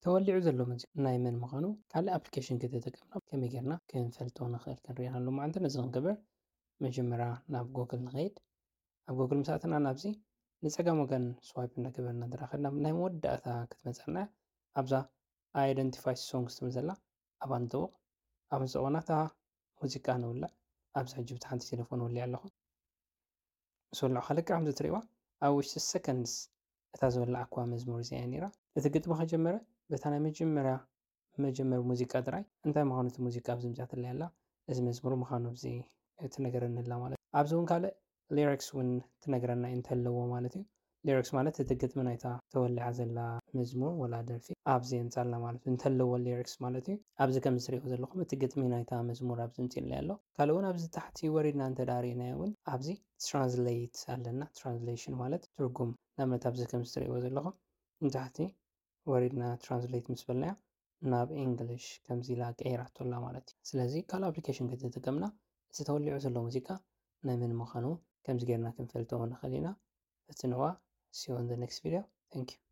ተወሊዑ ዘሎ ሙዚቃ ናይ መን ምዃኑ ካልእ ኣፕሊኬሽን ከተተቀምና ከመይ ጌርና ክንፈልጦ ንኽእል ክንሪኢ ኣሎ ማለት። ነዚ ክንገብር መጀመርያ ናብ ጎግል ንኸይድ። ኣብ ጎግል ምሳእትና ናብዚ ንጸጋም ወገን ስዋይፕ እንዳገበርና እንድራ ከድና ናይ መወዳእታ ክትመጸና ኣብዛ ኣይደንቲፋይ ሶንግስ ትብል ዘላ ኣብ ኣንጥውቕ። ኣብ ንጥውቕና እታ ሙዚቃ ንውልዕ። ኣብዚ ሕጂ ብቲ ሓንቲ ቴሌፎን ወልየ ኣለኹ። ምስ ወልዑ ከልክዕ ከምዚ ትርእይዋ ኣብ ውሽጢ ሰከንድስ እታ ዝወላዕኩዋ መዝሙር እዚኣ እያ ነይራ። እቲ ግጥሚ ከጀመረ በታ ናይ መጀመርያ መጀመር ሙዚቃ ጥራይ እንታይ ምዃኑ እቲ ሙዚቃ ኣብዚ ምፅኣትለይ ኣላ። እዚ መዝሙር ምዃኑ ኣብዚ ትነገረኒ ኣላ ማለት እዩ። ኣብዚ እውን ካልእ ሊሪክስ እውን ትነግረና እዩ እንተለዎ ማለት እዩ። ሊሪክስ ማለት እቲ ግጥሚ ናይታ ተወሊዓ ዘላ መዝሙር ወላ ደርፊ ኣብዚ የምፃልና ማለት እዩ። እንተለዎ ሊሪክስ ማለት እዩ። ኣብዚ ከም ዝትሪእዎ ዘለኹም እቲ ግጥሚ ናይታ መዝሙር ኣብዚ ምፅእለይ ኣሎ። ካልእ እውን ኣብዚ ታሕቲ ወሪድና እንተ ዳ ርኢናዮ እውን ኣብዚ ትራንስሌት ኣለና። ትራንስሌሽን ማለት ትርጉም። ንኣብነት ኣብዚ ከም ዝትሪእዎ ዘለኹም ንታሕቲ ወሪድና ትራንስሌት ምስ በልናዮ ናብ ኢንግሊሽ ከምዚ ኢላ ቀይራቶ ኣላ ማለት እዩ። ስለዚ ካልእ ኣፕሊኬሽን ከተተቀምና እቲ ተወሊዑ ዘሎ ሙዚቃ ናይ መን ምዃኑ ከምዚ ጌርና ክንፈልጦ ንኽእል ኢና። እቲ ንዋ see you on the next video. Thank you.